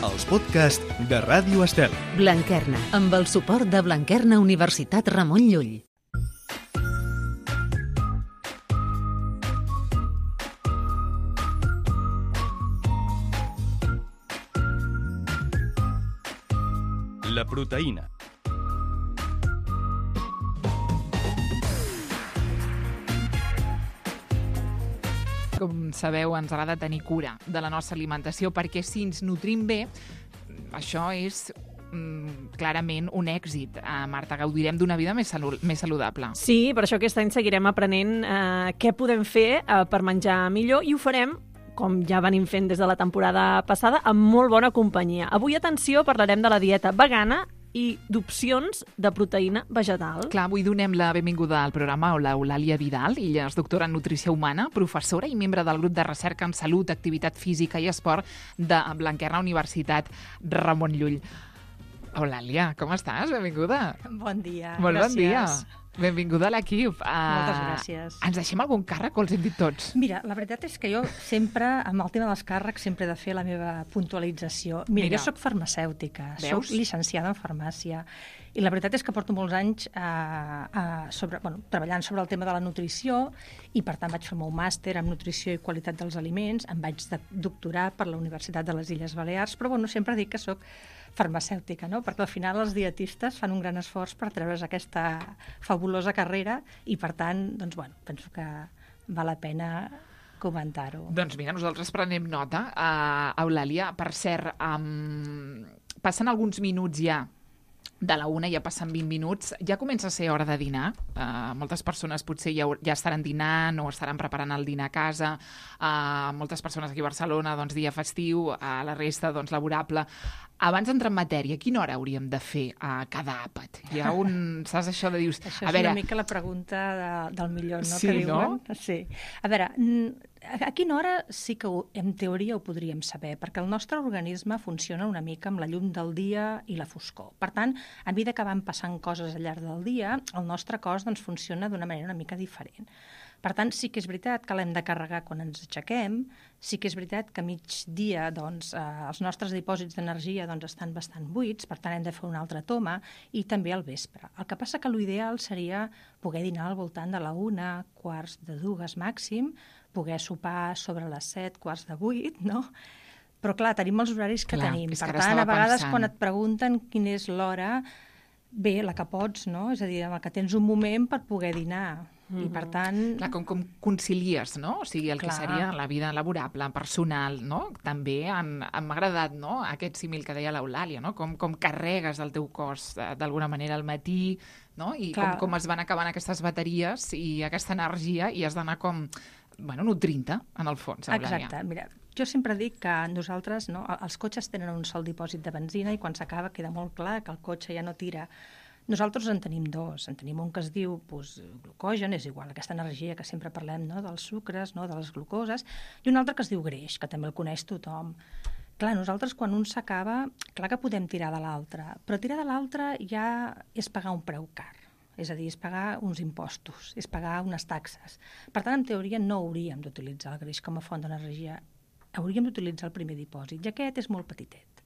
els podcasts de Ràdio Estel. Blanquerna, amb el suport de Blanquerna Universitat Ramon Llull. La proteïna. Com sabeu, ens agrada tenir cura de la nostra alimentació perquè si ens nutrim bé, això és clarament un èxit. Marta, gaudirem d'una vida més saludable. Sí, per això aquest any seguirem aprenent què podem fer per menjar millor i ho farem, com ja venim fent des de la temporada passada, amb molt bona companyia. Avui, atenció, parlarem de la dieta vegana i d'opcions de proteïna vegetal. Clar, avui donem la benvinguda al programa a l'Eulàlia Vidal. Ella és doctora en nutrició humana, professora i membre del grup de recerca en salut, activitat física i esport de Blanquerna Universitat Ramon Llull. Eulàlia, com estàs? Benvinguda. Bon dia. Molt gràcies. bon dia. Benvinguda a l'equip. Moltes gràcies. Ens deixem algun càrrec o els hem dit tots? Mira, la veritat és que jo sempre, amb el tema dels càrrecs, sempre he de fer la meva puntualització. Mira. Jo soc farmacèutica, soc llicenciada en farmàcia, i la veritat és que porto molts anys treballant sobre el tema de la nutrició, i per tant vaig fer el meu màster en nutrició i qualitat dels aliments, em vaig doctorar per la Universitat de les Illes Balears, però sempre dic que soc farmacèutica, no? Perquè al final els dietistes fan un gran esforç per treure's aquesta fabulosa carrera i, per tant, penso que val la pena comentar-ho. Doncs mira, nosaltres prenem nota. Eulàlia, per cert, passen alguns minuts ja de la 1, ja passen 20 minuts, ja comença a ser hora de dinar. Moltes persones potser ja estaran dinant o estaran preparant el dinar a casa. Moltes persones aquí a Barcelona, dia festiu, la resta, laborable. Abans d'entrar en matèria, a quina hora hauríem de fer cada àpat? Hi ha saps això de dius... Això és una mica la pregunta del milió, no? Sí, que diuen. No? Sí. A veure, a quina hora sí que en teoria ho podríem saber, perquè el nostre organisme funciona una mica amb la llum del dia i la foscor. Per tant, a mesura que van passant coses al llarg del dia, el nostre cos funciona d'una manera una mica diferent. Per tant, sí que és veritat que l'hem de carregar quan ens aixequem, sí que és veritat que a migdia els nostres dipòsits d'energia estan bastant buits, per tant hem de fer una altra toma, i també al vespre. El que passa que l'ideal seria poder dinar al voltant de la 1, 1:45 màxim, poder sopar sobre les 7, 7:45, no? Però clar, tenim els horaris que tenim. Per tant, a vegades quan et pregunten quina és l'hora, bé, la que pots, no? És a dir, amb el que tens un moment per poder dinar. I per tant... Clar, com concilies, no? O sigui, el que seria la vida laborable, personal, no? També m'ha agradat, no?, aquest símil que deia l'Eulàlia, no? Com carregues el teu cos d'alguna manera al matí, no? I com es van acabant aquestes bateries i aquesta energia, i has d'anar nutrint-te, en el fons, Eulàlia. Exacte. Mira, jo sempre dic que nosaltres, no, els cotxes tenen un sol dipòsit de benzina i quan s'acaba queda molt clar que el cotxe ja no tira. Nosaltres en tenim dos. En tenim un que es diu glucogen, és igual, aquesta energia que sempre parlem, no, dels sucres, no, de les glucoses, i un altre que es diu greix, que també el coneix tothom. Clar, nosaltres quan un s'acaba, clar que podem tirar de l'altre, però tirar de l'altre ja és pagar un preu car. És a dir, és pagar uns impostos, és pagar unes taxes. Per tant, en teoria, no hauríem d'utilitzar el greix com a font d'energia. Hauríem d'utilitzar el primer dipòsit, i aquest és molt petitet.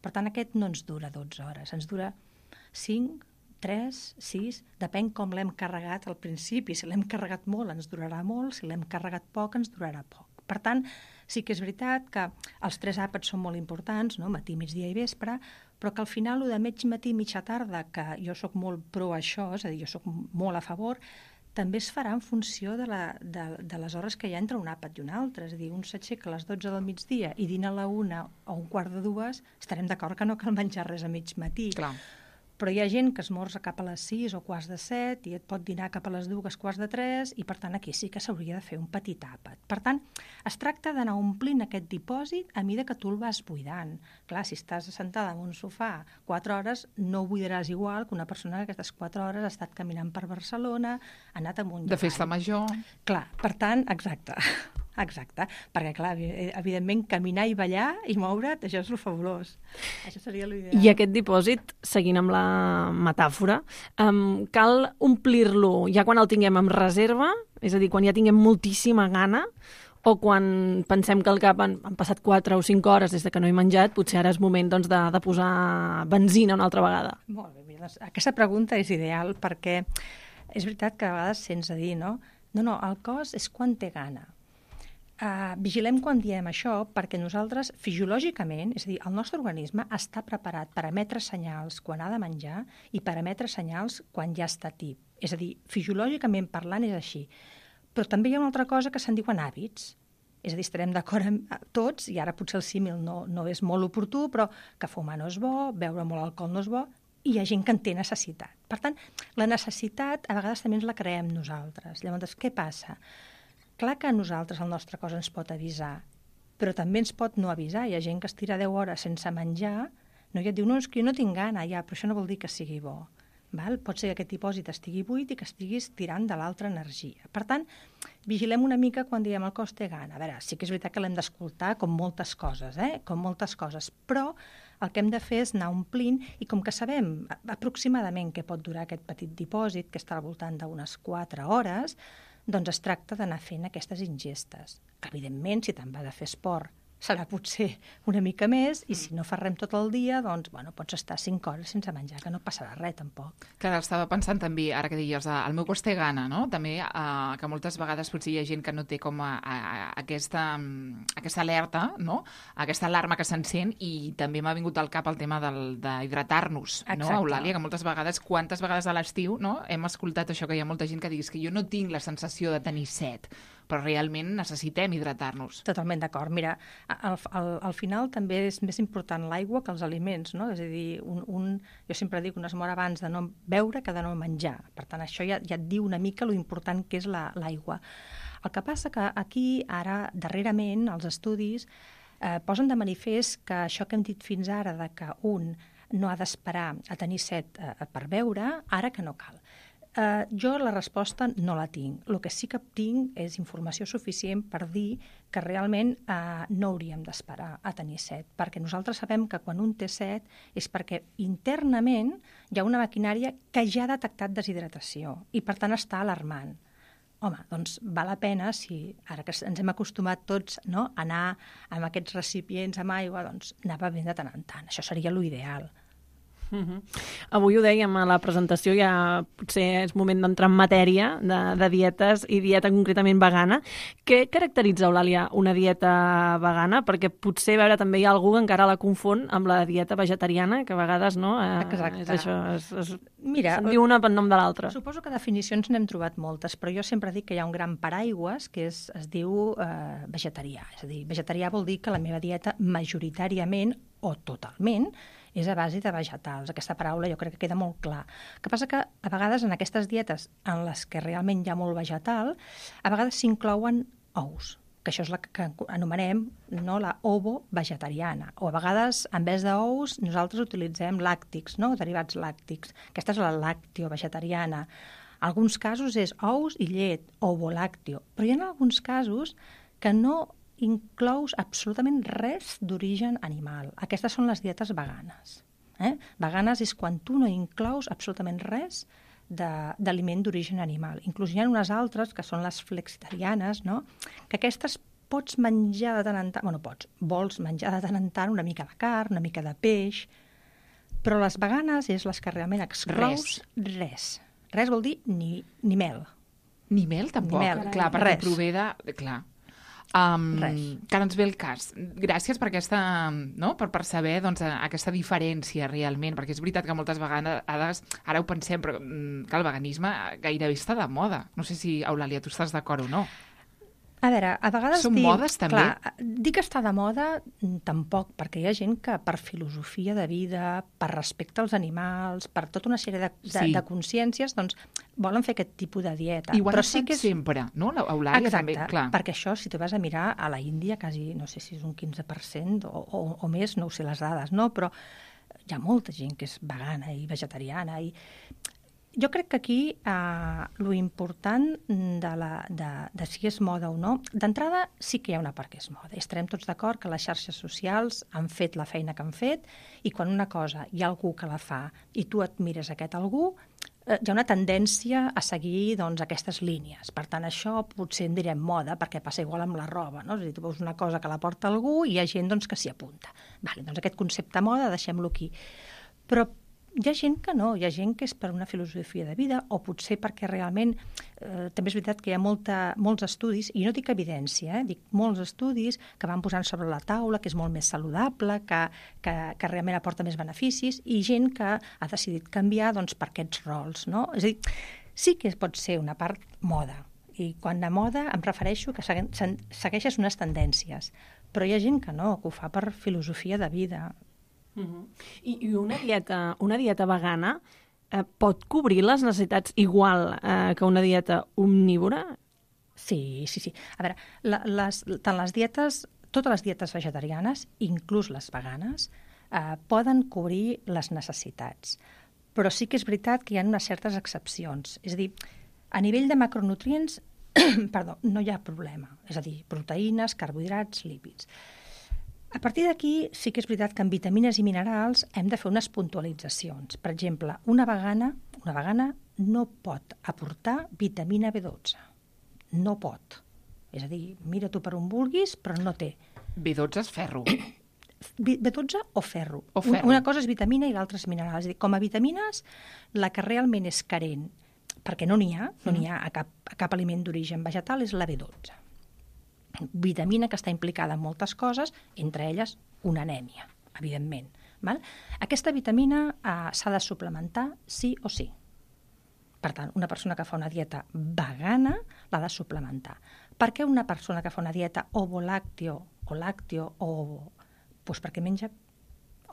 Per tant, aquest no ens dura 12 hores, ens dura 5, 3, 6, depèn com l'hem carregat al principi. Si l'hem carregat molt, ens durarà molt, si l'hem carregat poc, ens durarà poc. Per tant, sí que és veritat que els 3 àpats són molt importants, no? Matí, migdia i vespre, però que al final, de mig matí, mitja tarda, que jo sóc molt pro això, és a dir, jo sóc molt a favor, també es farà en funció de les hores que hi ha entre un àpat i un altre. És a dir, un s'aixeca a les 12 del migdia i dina a la 1 o 1:15, estarem d'acord que no cal menjar res a mig matí. Clar. Però hi ha gent que esmorza cap a les 6 o 6:45 i et pot dinar cap a les 2, 2:45, i per tant aquí sí que s'hauria de fer un petit àpat. Per tant, es tracta d'anar omplint aquest dipòsit a mesura que tu el vas buidant. Clar, si estàs assentada en un sofà 4 hores, no ho buidaràs igual que una persona que aquestes 4 hores ha estat caminant per Barcelona, ha anat amunt i avall. De festa major. Clar, per tant, exacte, perquè clar, evidentment caminar i ballar i moure't, això és el fabulós. Això seria l'ideal. I aquest dipòsit, seguint amb la metàfora, cal omplir-lo ja quan el tinguem en reserva, és a dir, quan ja tinguem moltíssima gana, O quan pensem que al cap han passat 4 o 5 hores des de que no he menjat, potser ara és moment doncs, de posar benzina una altra vegada. Molt bé, mira, aquesta pregunta és ideal perquè és veritat que a vegades sents a dir, no? No, el cos és quan té gana. Vigilem quan diem això perquè nosaltres, fisiològicament, és a dir, el nostre organisme està preparat per emetre senyals quan ha de menjar i per emetre senyals quan ja està tip. És a dir, fisiològicament parlant és així. Però també hi ha una altra cosa que se'n diuen hàbits. És a dir, estarem d'acord amb tots, i ara potser el símil no és molt oportú, però que fumar no és bo, beure molt alcohol no és bo, i hi ha gent que en té necessitat. Per tant, la necessitat a vegades també ens la creem nosaltres. Llavors, què passa? Clar que a nosaltres el nostre cos ens pot avisar, però també ens pot no avisar. Hi ha gent que es tira 10 hores sense menjar, no? I et diu, no, és que jo no tinc gana, ja, però això no vol dir que sigui bo. Val? Pot ser que aquest dipòsit estigui buit i que estiguis tirant de l'altra energia. Per tant, vigilem una mica quan diem el cos té gana. A veure, sí que és veritat que l'hem d'escoltar com moltes coses, com moltes coses, però el que hem de fer és anar omplint i com que sabem aproximadament què pot durar aquest petit dipòsit, que està al voltant d'unes 4 hores, doncs es tracta d'anar fent aquestes ingestes. Que, evidentment, si te'n vas a fer esport, serà potser una mica més, i si no fas res tot el dia, doncs, bueno, pots estar 5 hores sense menjar, que no passarà res, tampoc. Clar, estava pensant també, ara que deies, el meu cos té gana, no? També que moltes vegades potser hi ha gent que no té com aquesta alerta, no? Aquesta alarma que s'encén, i també m'ha vingut al cap el tema d'hidratar-nos, no, Eulàlia? Que moltes vegades, quantes vegades a l'estiu, no? Hem escoltat això, que hi ha molta gent que diguis que jo no tinc la sensació de tenir set, però realment necessitem hidratar-nos. Totalment d'acord. Mira, al final també és més important l'aigua que els aliments, no? És a dir, jo sempre dic un es mor abans de no beure que de no menjar. Per tant, això ja et diu una mica lo important que és l'aigua. El que passa que aquí, ara, darrerament, els estudis posen de manifest que això que hem dit fins ara, de que un no ha d'esperar a tenir set per beure, ara que no cal. Jo la resposta no la tinc. El que sí que tinc és informació suficient per dir que realment no hauríem d'esperar a tenir set, perquè nosaltres sabem que quan un té set és perquè internament hi ha una maquinària que ja ha detectat deshidratació i per tant està alarmant. Home, doncs val la pena, si ara que ens hem acostumat tots, no, a anar amb aquests recipients amb aigua, doncs anar bevent de tant en tant. Això seria l'ideal. Avui ho dèiem a la presentació, ja potser és moment d'entrar en matèria de dietes i dieta concretament vegana. Què caracteritza, Eulàlia, una dieta vegana? Perquè potser, a veure, també hi ha algú que encara la confon amb la dieta vegetariana, que a vegades, no? Exacte. És això, Mira, se'n diu una pel nom de l'altra. Suposo que definicions n'hem trobat moltes, però jo sempre dic que hi ha un gran paraigües que es diu vegetarià. És a dir, vegetarià vol dir que la meva dieta majoritàriament o totalment és a base de vegetals. Aquesta paraula jo crec que queda molt clar. El que passa que a vegades en aquestes dietes en les que realment hi ha molt vegetal, a vegades s'inclouen ous, que això és la que anomenem, no, la ovo-vegetariana. O a vegades, en vez d'ous, nosaltres utilitzem làctics, no, derivats làctics. Aquesta és la lactio-vegetariana. En alguns casos és ous i llet, ovo-làctio. Però hi ha alguns casos que no inclous absolutament res d'origen animal. Aquestes són les dietes veganes. Veganes és quan tu no inclous absolutament res d'aliment d'origen animal. Inclús hi ha unes altres, que són les flexitarianes, no? Que aquestes pots menjar de tant en tant, vols menjar de tant en tant una mica de carn, una mica de peix, però les veganes és les que realment exclous res. Res vol dir ni mel. Ni mel, tampoc? Ni mel, clar, perquè res. prové de... Clar. Que no ens ve el cas. Gràcies per aquesta, no? per saber doncs, aquesta diferència realment, perquè és veritat que moltes vegades, ara ho pensem, però que el veganisme gairebé està de moda. No sé si, Eulàlia, tu estàs d'acord o no. A veure, a vegades Són modes, també? Clar, dir que està de moda, tampoc, perquè hi ha gent que per filosofia de vida, per respecte als animals, per tota una sèrie de consciències, doncs volen fer aquest tipus de dieta. I ho han sí que és... sempre, no? Eulàlia també, clar. Perquè això, si tu vas a mirar a la Índia, quasi, no sé si és un 15% o més, no ho sé les dades, no? Però hi ha molta gent que és vegana i vegetariana i... Jo crec que aquí lo important de si és moda o no, d'entrada sí que hi ha una part que és moda. Estarem tots d'acord que les xarxes socials han fet la feina que han fet i quan una cosa hi ha algú que la fa i tu et mires aquest algú, hi ha una tendència a seguir doncs, aquestes línies. Per tant, això potser en direm moda, perquè passa igual amb la roba, no? És a dir, tu veus una cosa que la porta algú i hi ha gent doncs, que s'hi apunta. Vale, doncs aquest concepte moda deixem-lo aquí. Però hi ha gent que no, hi ha gent que és per una filosofia de vida o potser perquè realment també és veritat que hi ha molts estudis, i no dic evidència, dic molts estudis que van posant sobre la taula, que és molt més saludable, que realment aporta més beneficis, i gent que ha decidit canviar doncs, per aquests rols. No? És a dir, sí que pot ser una part moda, i quan de moda em refereixo que segueixes unes tendències, però hi ha gent que no, que ho fa per filosofia de vida. I una dieta vegana pot cobrir les necessitats igual que una dieta omnívora? Sí. A veure, tant les dietes, totes les dietes vegetarianes, inclús les veganes, poden cobrir les necessitats. Però sí que és veritat que hi ha unes certes excepcions. És a dir, a nivell de macronutrients, no hi ha problema. És a dir, proteïnes, carbohidrats, lípids. A partir d'aquí, sí que és veritat que en vitamines i minerals hem de fer unes puntualitzacions. Per exemple, una vegana no pot aportar vitamina B12. No pot. És a dir, mira tu per on vulguis, però no té. B12 és ferro. B12 o ferro. Una cosa és vitamina i l'altra és mineral. És a dir, com a vitamines, la que realment és carent, perquè no n'hi ha a cap aliment d'origen vegetal, és la B12. Vitamina que està implicada en moltes coses, entre elles una anèmia, evidentment. Val? Aquesta vitamina s'ha de suplementar sí o sí. Per tant, una persona que fa una dieta vegana l'ha de suplementar. Per què una persona que fa una dieta ovo-làcteo o làcteo doncs perquè menja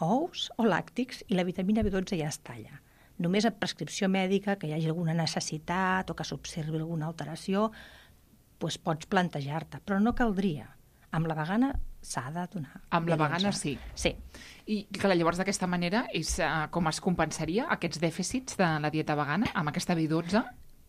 ous o làctics i la vitamina B12 ja està allà. Només a prescripció mèdica, que hi hagi alguna necessitat o que s'observi alguna alteració, doncs pots plantejar-te, però no caldria. Amb la vegana s'ha de donar. Amb la vegana sí. Sí. I que llavors d'aquesta manera és com es compensaria aquests dèficits de la dieta vegana amb aquesta B12?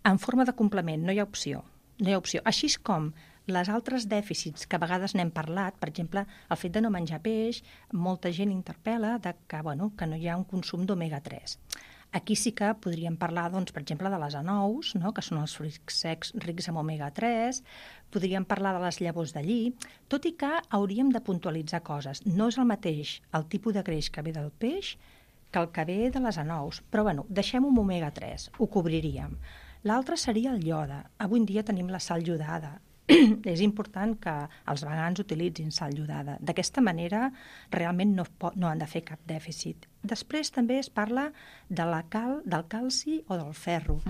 En forma de complement, no hi ha opció. No hi ha opció. Així com les altres dèficits que a vegades n'hem parlat, per exemple, el fet de no menjar peix, molta gent interpel·la que no hi ha un consum d'omega-3. Aquí sí que podríem parlar, doncs, per exemple, de les anous, no? Que són els fruits secs rics en omega-3, podríem parlar de les llavors de lli, tot i que hauríem de puntualitzar coses. No és el mateix el tipus de greix que ve del peix que el que ve de les anous, però deixem un omega-3, ho cobriríem. L'altre seria el iode. Avui en dia tenim la sal iodada. És important que els vegans utilitzin sal iodada. D'aquesta manera realment no han de fer cap dèficit. Després també es parla del calci o del ferro.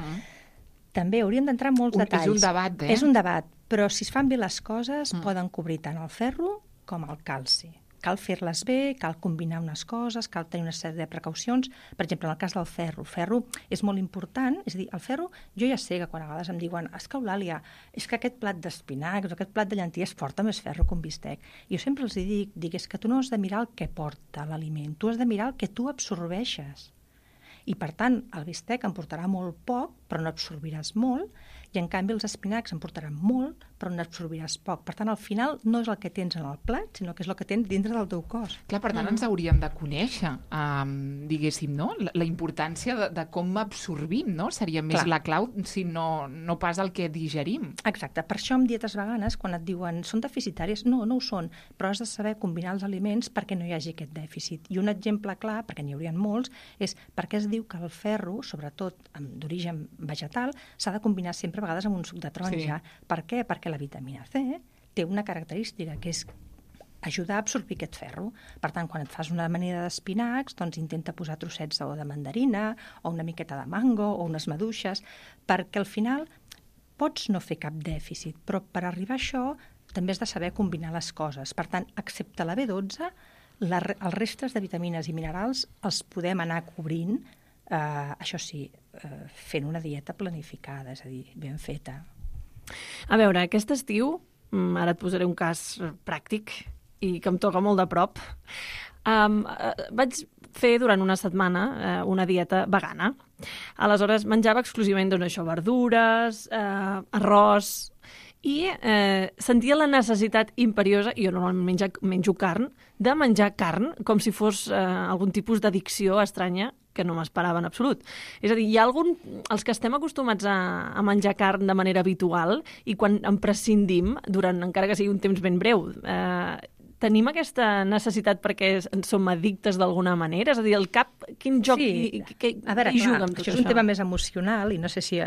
També hauríem d'entrar en molts detalls. És un debat, És un debat, però si es fan bé les coses poden cobrir tant el ferro com el calci. Cal fer-les bé, cal combinar unes coses, cal tenir una sèrie de precaucions. Per exemple, en el cas del ferro. El ferro és molt important, és a dir, el ferro, jo ja sé que quan a vegades em diuen és que Eulàlia, és que aquest plat d'espinacs o aquest plat de llenties porta més ferro que un bistec. Jo sempre els dic, és que tu no has de mirar el que porta l'aliment, tu has de mirar el que tu absorbeixes. I, per tant, el bistec em portarà molt poc, però no absorbiràs molt, i, en canvi, els espinacs en portaran molt, però no absorbiràs poc. Per tant, al final, no és el que tens en el plat, sinó que és el que tens dintre del teu cos. Clar, per tant, ens hauríem de conèixer, diguéssim, no? La importància de com absorbim, no? Seria més la clau, si no pas el que digerim. Exacte. Per això, amb dietes veganes, quan et diuen són deficitàries, no ho són, però has de saber combinar els aliments perquè no hi hagi aquest dèficit. I un exemple clar, perquè n'hi haurien molts, és perquè es diu que el ferro, sobretot d'origen vegetal, s'ha de combinar sempre a vegades amb un suc de taronja. Sí. Per què? Perquè la vitamina C té una característica, que és ajudar a absorbir aquest ferro. Per tant, quan et fas una amanida d'espinacs, doncs intenta posar trossets de mandarina o una miqueta de mango o unes maduixes, perquè al final pots no fer cap dèficit, però per arribar a això també has de saber combinar les coses. Per tant, excepte la B12, els restes de vitamines i minerals els podem anar cobrint, això sí, fent una dieta planificada, és a dir, ben feta. A veure, aquest estiu, ara et posaré un cas pràctic i que em toca molt de prop, vaig fer durant una setmana una dieta vegana. Aleshores menjava exclusivament verdures, arròs, i sentia la necessitat imperiosa, jo normalment menjo carn, de menjar carn com si fos algun tipus d'addicció estranya que no m'esperava en absolut. És a dir, hi ha els que estem acostumats a menjar carn de manera habitual i quan en prescindim, encara que sigui un temps ben breu, tenim aquesta necessitat perquè som addictes d'alguna manera? És a dir, el cap, quin joc hi juga amb tot això? Això és un tema més emocional i no sé si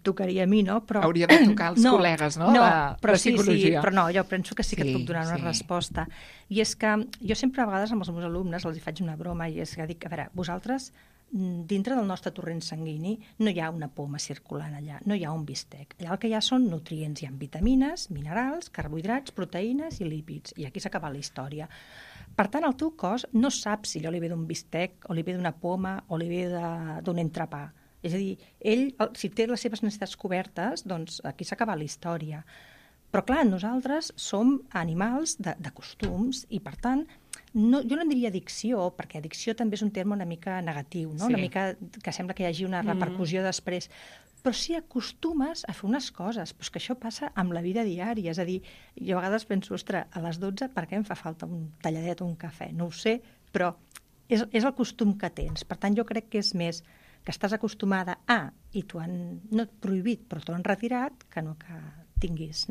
tocaria a mi, no? Però... Hauria de tocar als col·legues, no? Però de psicologia. Sí, però no, jo penso que sí que et puc donar una resposta. I és que jo sempre a vegades amb els meus alumnes els faig una broma i és que dic, a veure, vosaltres dintre del nostre torrent sanguini no hi ha una poma circulant allà, no hi ha un bistec. Allà el que hi ha són nutrients, hi ha vitamines, minerals, carbohidrats, proteïnes i lípids. I aquí s'ha acabat la història. Per tant, el teu cos no sap si allò li ve d'un bistec o li ve d'una poma o li ve d'un entrepà. És a dir, ell, si té les seves necessitats cobertes, doncs aquí s'ha acabat la història. Però clar, nosaltres som animals de costums i per tant jo no en diria addicció, perquè addicció també és un terme una mica negatiu, no? Una mica que sembla que hi hagi una repercussió després. Però si acostumes a fer unes coses, però és que això passa amb la vida diària. És a dir, jo a vegades penso, ostres, a les 12 per què em fa falta un talladet o un cafè? No ho sé, però és el costum que tens. Per tant, jo crec que és més que estàs acostumada i t'ho han, no prohibit, però t'ho han retirat, que no que tinguis.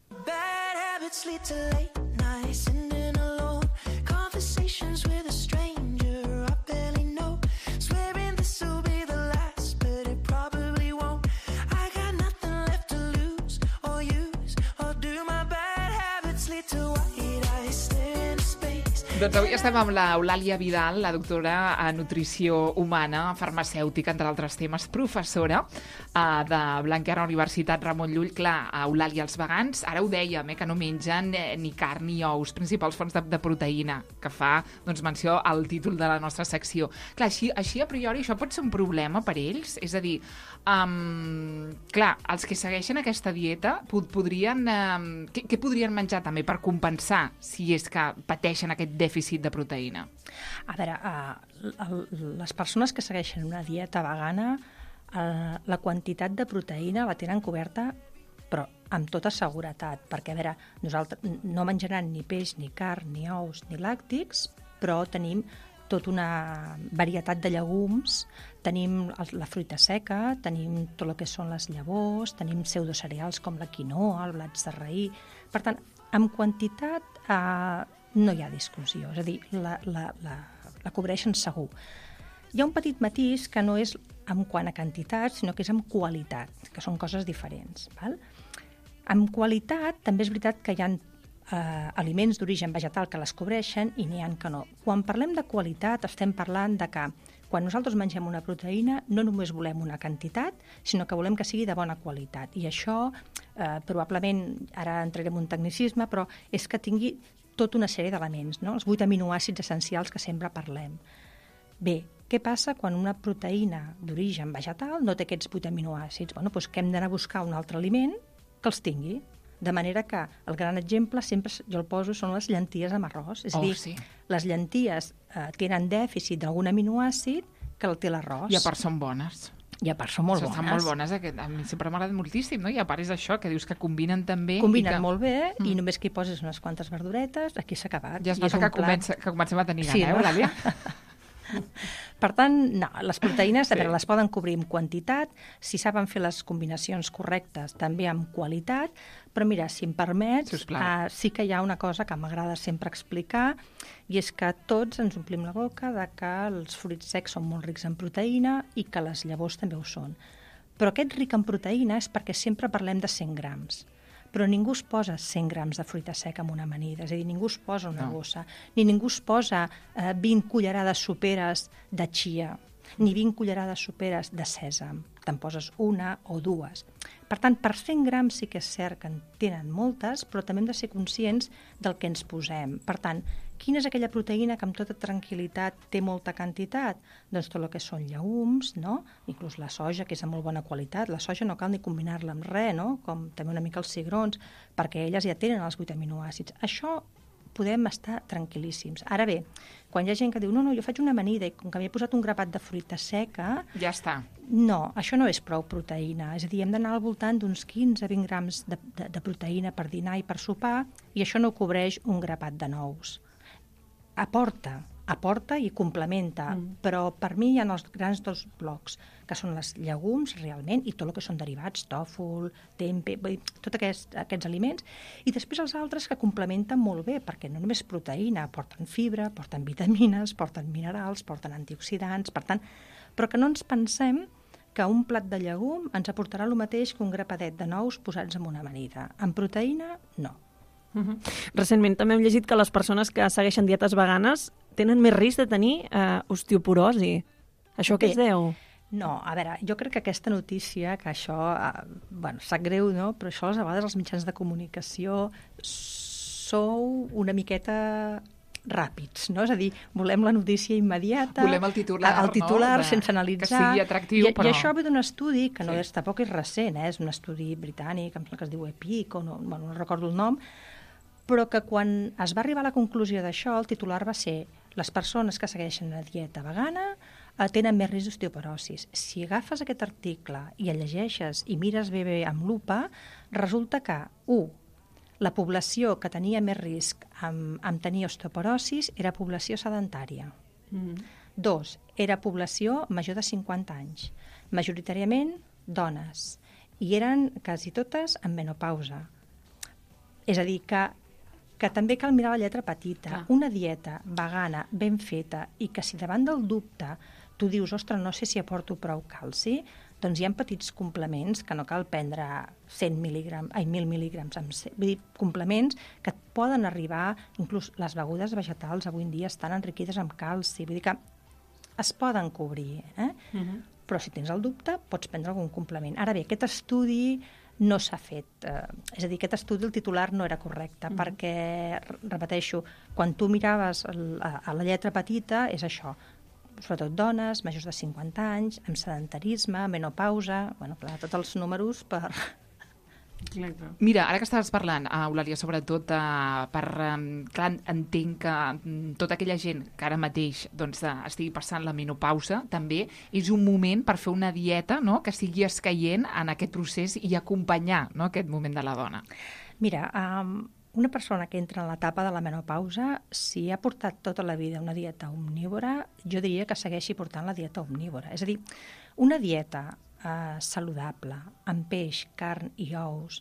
Bad habits lead to late nights, sitting alone, conversations with a stranger I barely know, swearing this will be the last, but it probably won't. I got nothing left to lose or use, or do my bad habits lead to white eyes staring into space. Doncs avui estem amb l'Eulàlia Vidal, la doctora en nutrició humana, farmacèutica, entre altres temes, professora de Blanquerna Universitat Ramon Llull. Clar, Eulàlia, els vegans, ara ho dèiem, que no mengen ni carn ni ous, principals fonts de proteïna, que fa menció al títol de la nostra secció. Clar, així a priori això pot ser un problema per ells? És a dir, clar, els que segueixen aquesta dieta podrien... Què podrien menjar també per compensar si és que pateixen aquest dèficit de proteïna? A veure, les persones que segueixen una dieta vegana, la quantitat de proteïna la tenen coberta, però amb tota seguretat, perquè, a veure, nosaltres no menjaran ni peix, ni carn, ni ous, ni làctics, però tenim tota una varietat de llegums, tenim la fruita seca, tenim tot el que són les llavors, tenim pseudocereals com la quinoa, el blat de raïm. Per tant, amb quantitat no hi ha discussió, és a dir, la cobreixen segur. Hi ha un petit matís que no és en quant a quantitat, sinó que és en qualitat, que són coses diferents. Val? En qualitat, també és veritat que hi ha aliments d'origen vegetal que les cobreixen i n'hi ha que no. Quan parlem de qualitat, estem parlant de que quan nosaltres mengem una proteïna no només volem una quantitat, sinó que volem que sigui de bona qualitat. I això, probablement, ara entrarem en un tecnicisme, però és que tingui tota una sèrie d'elements, no? Els 8 aminoàcids essencials que sempre parlem. Bé, què passa quan una proteïna d'origen vegetal no té aquests 8 aminoàcids? Bé, doncs que hem d'anar a buscar un altre aliment que els tingui. De manera que el gran exemple, sempre jo el poso, són les llenties amb arròs. És a dir, les llenties tenen dèficit d'algun aminoàcid que el té l'arròs. I a part són bones. I a part són molt bones. Estan molt bones. A mi sempre m'ha agradat moltíssim, no? I a part és això, que dius que combinen també. Combinen molt bé i només que hi poses unes quantes verduretes, aquí s'ha acabat. Ja es nota que comencem a tenir gana, Eulàlia? Per tant, no, les proteïnes les poden cobrir amb quantitat, si saben fer les combinacions correctes, també amb qualitat, però mira, si em permets, sí que hi ha una cosa que m'agrada sempre explicar, i és que tots ens omplim la boca de que els fruits secs són molt rics en proteïna i que les llavors també ho són. Però aquest ric en proteïna és perquè sempre parlem de 100 grams. Però ningú es posa 100 grams de fruita seca en una amanida, és a dir, ningú es posa una bossa, ni ningú es posa 20 cullerades soperes de chia, ni 20 cullerades soperes de sèsam, te'n poses una o dues. Per tant, per 100 grams sí que és cert que en tenen moltes, però també hem de ser conscients del que ens posem. Per tant, quina és aquella proteïna que amb tota tranquil·litat té molta quantitat? Doncs tot el que són llegums, no? Inclús la soja, que és de molt bona qualitat. La soja no cal ni combinar-la amb res, no? Com també una mica els cigrons, perquè elles ja tenen els 8 aminoàcids. Això podem estar tranquil·líssims. Ara bé, quan hi ha gent que diu no, jo faig una amanida i com que m'he posat un grapat de fruita seca... Ja està. No, això no és prou proteïna. És a dir, hem d'anar al voltant d'uns 15-20 grams de proteïna per dinar i per sopar i això no cobreix un grapat de nous. Aporta i complementa, però per mi hi ha els grans dos blocs, que són les llegums, realment, i tot el que són derivats, tòfol, tempe, tots aquests aliments, i després els altres que complementen molt bé, perquè no només proteïna, porten fibra, porten vitamines, porten minerals, porten antioxidants, per tant, però que no ens pensem que un plat de llegum ens aportarà el mateix que un grapadet de nous posats en una amanida. En proteïna, no. Recentment també hem llegit que les persones que segueixen dietes veganes tenen més risc de tenir osteoporosi. Això què es deu? No, a veure, jo crec que aquesta notícia, que això, sap greu, no? Però això a vegades els mitjans de comunicació sou una miqueta ràpids, no? És a dir, volem la notícia immediata, volem el titular, no? Sense analitzar. Que sigui atractiu, però... I això ve d'un estudi que tampoc és recent, és un estudi britànic, que es diu EPIC, o no recordo el nom, però que quan es va arribar a la conclusió d'això, el titular va ser les persones que segueixen una dieta vegana tenen més risc d'osteoporosis. Si agafes aquest article i el llegeixes i mires bé amb lupa, resulta que, la població que tenia més risc amb tenir osteoporosis era població sedentària. 2, era població major de 50 anys, majoritàriament dones, i eren quasi totes en menopausa. És a dir, que també cal mirar la lletra petita. Una dieta vegana ben feta i que si davant del dubte tu dius, ostres, no sé si aporto prou calci, doncs hi ha petits complements que no cal prendre 1.000 mil·lígrams, vull dir, complements que et poden arribar, inclús les begudes vegetals avui en dia estan enriquides amb calci, vull dir que es poden cobrir, però si tens el dubte pots prendre algun complement. Ara bé, aquest estudi no s'ha fet, és a dir, aquest estudi, el titular no era correcte, perquè, repeteixo, quan tu miraves a la lletra petita és això, sobretot dones, majors de 50 anys, amb sedentarisme, menopausa, clar, tots els números per... Mira, ara que estaves parlant, Eulàlia, sobretot clar, entenc que tota aquella gent que ara mateix estigui passant la menopausa també és un moment per fer una dieta, no?, que sigui escaient en aquest procés i acompanyar, no?, aquest moment de la dona. Mira, una persona que entra en l'etapa de la menopausa, si ha portat tota la vida una dieta omnívora, jo diria que segueixi portant la dieta omnívora. És a dir, una dieta saludable, amb peix, carn i ous,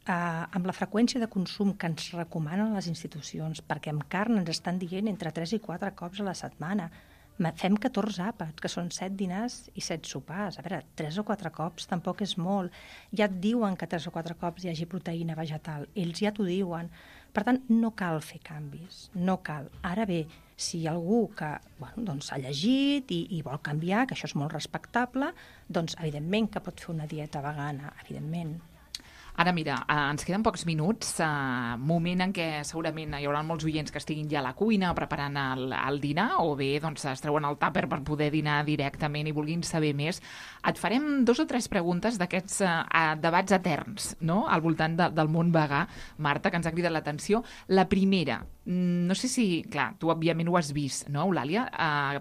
amb la freqüència de consum que ens recomanen les institucions, perquè amb carn ens estan dient entre 3 i 4 cops a la setmana. Fem 14 àpats, que són 7 dinars i 7 sopars. A veure, 3 o 4 cops tampoc és molt. Ja et diuen que 3 o 4 cops hi hagi proteïna vegetal. Ells ja t'ho diuen. Per tant, no cal fer canvis, no cal. Ara bé, si hi ha algú que ha llegit i vol canviar, que això és molt respectable, doncs evidentment que pot fer una dieta vegana, evidentment. Ara, mira, ens queden pocs minuts, moment en què segurament hi haurà molts oients que estiguin ja a la cuina preparant el dinar, o bé es treuen el tàper per poder dinar directament i vulguin saber més. Et farem 2 o 3 preguntes d'aquests debats eterns, no?, al voltant del món vegà, Marta, que ens ha cridat l'atenció. La primera, no sé si, clar, tu òbviament ho has vist, no, Eulàlia?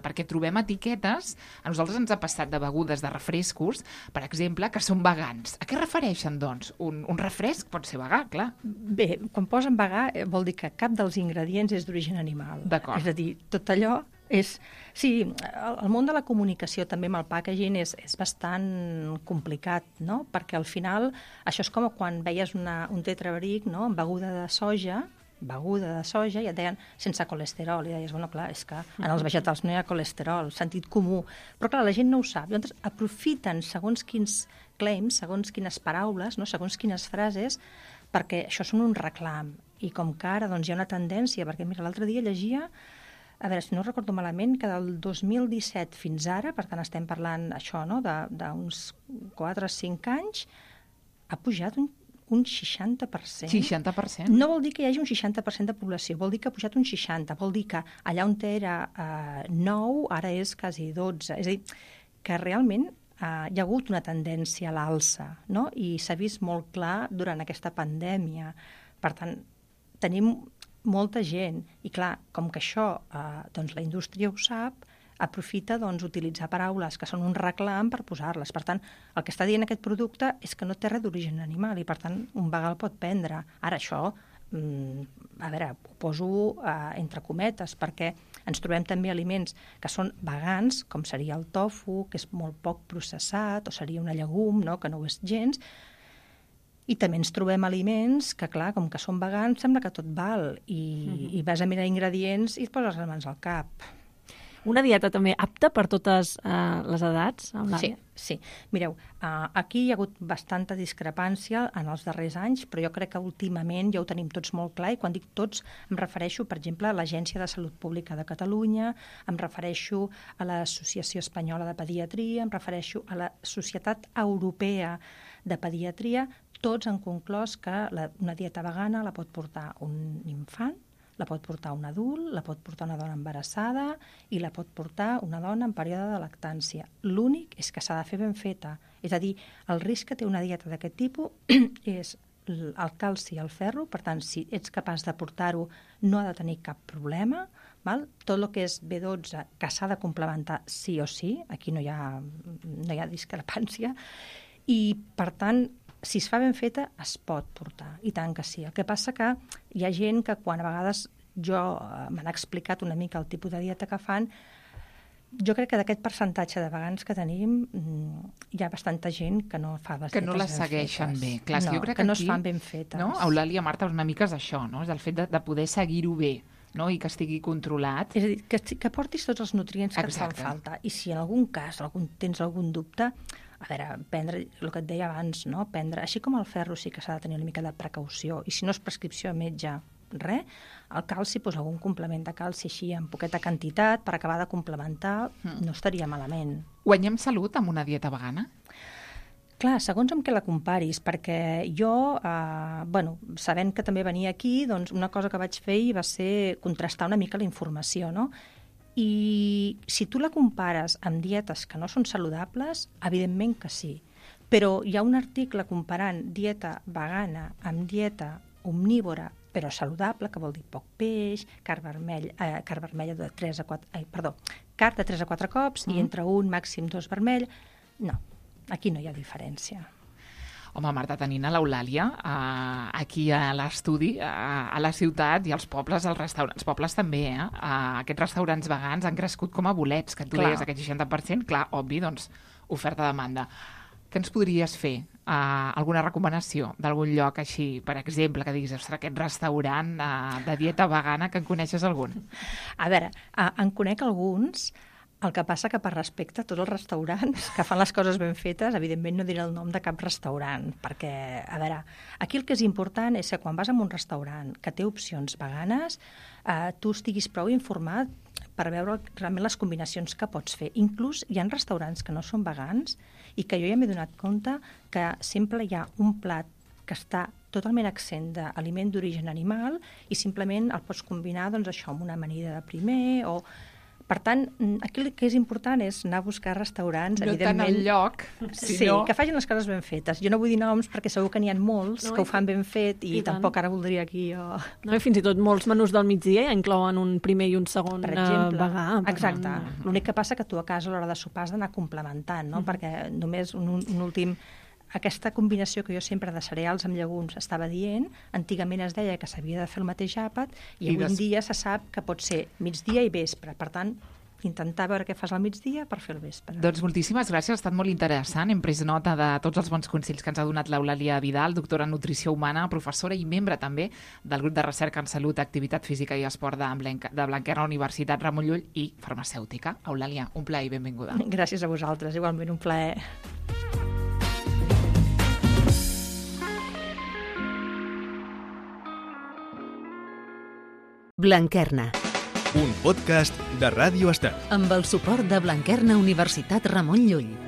Perquè trobem etiquetes, a nosaltres ens ha passat de begudes, de refrescos, per exemple, que són vegans. A què refereixen, doncs? Un refresc pot ser vegà, clar. Bé, quan posen vegà vol dir que cap dels ingredients és d'origen animal. D'acord. És a dir, tot allò és... Sí, el món de la comunicació també amb el packaging és bastant complicat, no? Perquè al final això és com quan veies un tetrabric, no?, amb beguda de soja, i et deien sense colesterol, i deies, bueno, clar, és que en els vegetals no hi ha colesterol, sentit comú, però clar, la gent no ho sap, llavors aprofiten segons quins claims, segons quines paraules, no?, segons quines frases, perquè això són un reclam, i com que ara doncs, hi ha una tendència, perquè mira, l'altre dia llegia, a veure, si no recordo malament, que del 2017 fins ara, per tant estem parlant això, no?, d'uns 4 o 5 anys, ha pujat un 60%. 60%? No vol dir que hi hagi un 60% de població, vol dir que ha pujat un 60%, vol dir que allà on era 9, ara és quasi 12. És a dir, que realment hi ha hagut una tendència a l'alça, no? I s'ha vist molt clar durant aquesta pandèmia. Per tant, tenim molta gent. I clar, com que això doncs la indústria ho sap, aprofita utilitzar paraules que són un reclam per posar-les. Per tant, el que està dient aquest producte és que no té res d'origen animal i, per tant, un vegà el pot prendre. Ara, això, a veure, ho poso entre cometes, perquè ens trobem també aliments que són vegans, com seria el tofu, que és molt poc processat, o seria una llegum, no?, que no ho és gens, i també ens trobem aliments que, clar, com que són vegans, sembla que tot val, i vas a mirar ingredients i et poses les mans al cap. Una dieta també apta per totes les edats? Sí. Mireu, aquí hi ha hagut bastanta discrepància en els darrers anys, però jo crec que últimament ja ho tenim tots molt clar, i quan dic tots em refereixo, per exemple, a l'Agència de Salut Pública de Catalunya, em refereixo a l'Associació Espanyola de Pediatria, em refereixo a la Societat Europea de Pediatria. Tots han conclòs que una dieta vegana la pot portar un infant, la pot portar un adult, la pot portar una dona embarassada i la pot portar una dona en període de lactància. L'únic és que s'ha de fer ben feta. És a dir, el risc que té una dieta d'aquest tipus és el calci i el ferro, per tant, si ets capaç de portar-ho, no ha de tenir cap problema. Val? Tot el que és B12, que s'ha de complementar sí o sí, aquí no hi ha discrepància, i, per tant, si es fa ben feta, es pot portar, i tant que sí. El que passa que hi ha gent que quan a vegades m'han explicat una mica el tipus de dieta que fan, jo crec que d'aquest percentatge de vegans que tenim hi ha bastanta gent que no fa les dietes ben fetes. Que no les segueixen bé. Clar, no, jo crec que no aquí, es fan ben fetes. No? Eulàlia, Marta, una mica és això, no? És el fet de poder seguir-ho bé, no? I que estigui controlat. És a dir, que portis tots els nutrients que et fan falta. I si en algun cas tens algun dubte, a veure, prendre el que et deia abans, no? Prendre, així com el ferro sí que s'ha de tenir una mica de precaució, i si no és prescripció de metge, res, el calci, doncs algun complement de calci així en poqueta quantitat per acabar de complementar, no estaria malament. Guanyem salut amb una dieta vegana? Clar, segons amb què la comparis, perquè jo, sabent que també venia aquí, doncs una cosa que vaig fer va ser contrastar una mica la informació, no? I si tu la compares amb dietes que no són saludables, evidentment que sí. Però hi ha un article comparant dieta vegana amb dieta omnívora, però saludable, que vol dir poc peix, carn vermella de 3 a 4... carn de 3 a 4 cops i entre un, màxim 2 vermell. No, aquí no hi ha diferència. Home, Marta, tenint a l'Eulàlia aquí a l'estudi, a la ciutat i als pobles, als restaurants, pobles també, aquests restaurants vegans han crescut com a bolets, que tu deies aquest 60%, clar, obvi, doncs, oferta-demanda. Què ens podries fer? Alguna recomanació d'algun lloc així, per exemple, que diguis, ostres, aquest restaurant de dieta vegana, que en coneixes algun? A veure, en conec alguns. El que passa que per respecte a tots els restaurants que fan les coses ben fetes, evidentment no diré el nom de cap restaurant, perquè, a veure, aquí el que és important és que quan vas a un restaurant que té opcions veganes, tu estiguis prou informat per veure realment les combinacions que pots fer. Inclús hi ha restaurants que no són vegans i que jo ja m'he donat compte que sempre hi ha un plat que està totalment accent d'aliment d'origen animal i simplement el pots combinar doncs, això amb una amanida de primer o... Per tant, aquí el que és important és anar a buscar restaurants, no evidentment... No tant al lloc, sinó... Sí, que facin les coses ben fetes. Jo no vull dir noms perquè segur que n'hi ha molts que ho fan ben fet i tampoc ara voldria aquí jo... No, i fins i tot molts menús del migdia ja inclouen un primer i un segon vegà. Exacte. L'únic que passa que tu a casa a l'hora de sopar has d'anar complementant, no? Perquè només un últim... Aquesta combinació que jo sempre de cereals amb llegums estava dient, antigament es deia que s'havia de fer el mateix àpat i avui en dia se sap que pot ser migdia i vespre. Per tant, intentar veure què fas al migdia per fer el vespre. Doncs moltíssimes gràcies, ha estat molt interessant. Hem pres nota de tots els bons consells que ens ha donat l'Eulàlia Vidal, doctora en Nutrició Humana, professora i membre també del grup de recerca en salut, activitat física i esport de Blanquerna Universitat Ramon Llull i farmacèutica. Eulàlia, un plaer i benvinguda. Gràcies a vosaltres, igualment un plaer. Blanquerna. Un podcast de Ràdio Estel. Amb el suport de Blanquerna Universitat Ramon Llull.